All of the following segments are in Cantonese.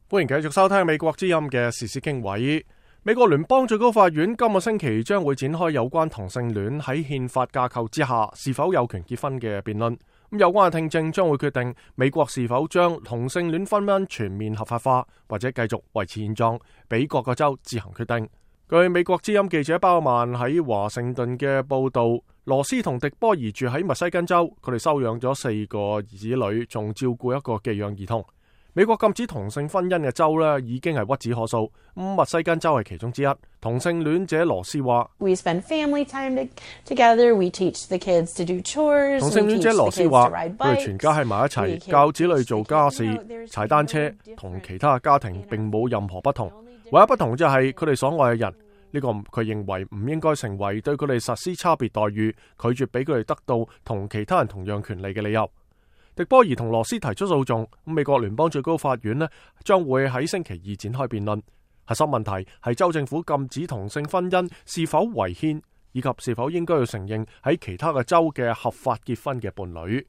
歡迎繼續收聽美國之音嘅時事經緯。美國聯邦最高法院今個星期將會展開有關同性戀喺憲法架構之下是否有權結婚嘅辯論。有關嘅聽證將會決定美國是否將同性戀婚姻全面合法化，或者繼續維持現狀，俾各個州自行決定。據美國之音記者鮑曼喺華盛頓嘅報道，羅斯同迪波兒住喺密西根州，佢哋收養咗4個子女，仲照顧一個寄養兒童。美國禁止同性婚姻嘅州呢已經係屈指可數，密西根州係其中之一。同性戀者羅斯話：We spend family time together. We teach the kids to do chores. 同性戀者羅斯話：佢哋全家喺埋一齊，教子女做家事、踩單車，同其他家庭並冇任何不同。唯一不同就係佢哋所愛嘅人，呢個佢認為唔應該成為對佢哋實施差別待遇，拒絕俾佢哋得到同其他人同樣權利嘅理由。迪波兒同羅斯提出訴訟，美國聯邦最高法院呢將會喺星期二展開辯論。核心問題係州政府禁止同性婚姻是否違憲，以及是否應該要承認喺其他嘅州嘅合法結婚嘅伴侶。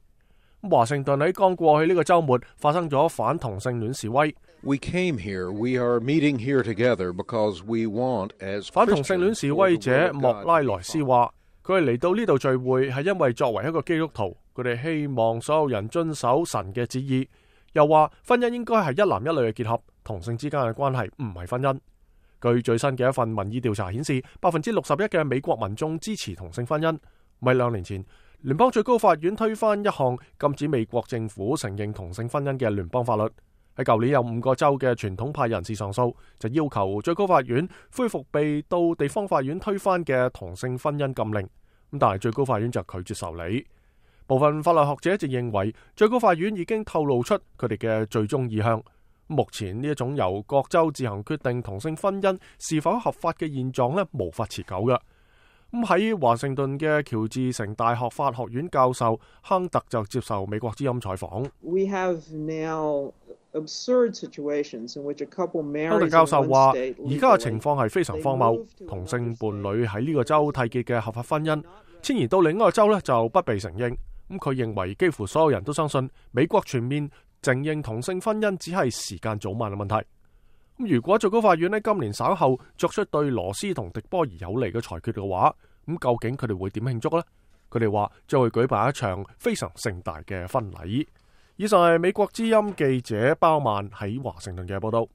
華盛頓喺剛過去呢個週末發生咗反同性戀示威。We came here, we are meeting here together because we want as 反同性戀示威者莫拉萊斯話：佢哋嚟到呢度聚會係因為作為一個基督徒，佢哋希望所有人遵守神嘅旨意。又話婚姻應該係一男一女嘅結合，同性之間嘅關係唔係婚姻。據最新嘅一份民意調查顯示，61%嘅美國民眾支持同性婚姻。喺2年前，聯邦最高法院推翻一項禁止美國政府承認同性婚姻嘅聯邦法律。喺舊年有5個州嘅傳統派人士上訴，就要求最高法院恢復被到地方法院推翻嘅同性婚姻禁令。但係最高法院就拒絕受理。部分法律學者就認為，最高法院已經透露出佢哋嘅最終意向。目前呢一種由各州自行決定同性婚姻是否合法嘅現狀呢，無法持久嘅。喺華盛頓嘅喬治城大學法學院教授亨特就接受美國之音採訪。亨特教授話：而家嘅情況係非常荒謬，同性伴侶喺呢個州締結嘅合法婚姻，遷移到另一個州呢就不被承認。佢認為幾乎所有人都相信美國全面承認同性婚姻只係時間早晚嘅問題。如果最高法院喺今年稍後作出對羅斯同迪波兒有利嘅裁決嘅話，究竟佢哋會點慶祝呢？佢哋話將會舉辦一場非常盛大嘅婚禮。以上係美國之音記者鮑曼喺華盛頓嘅報道。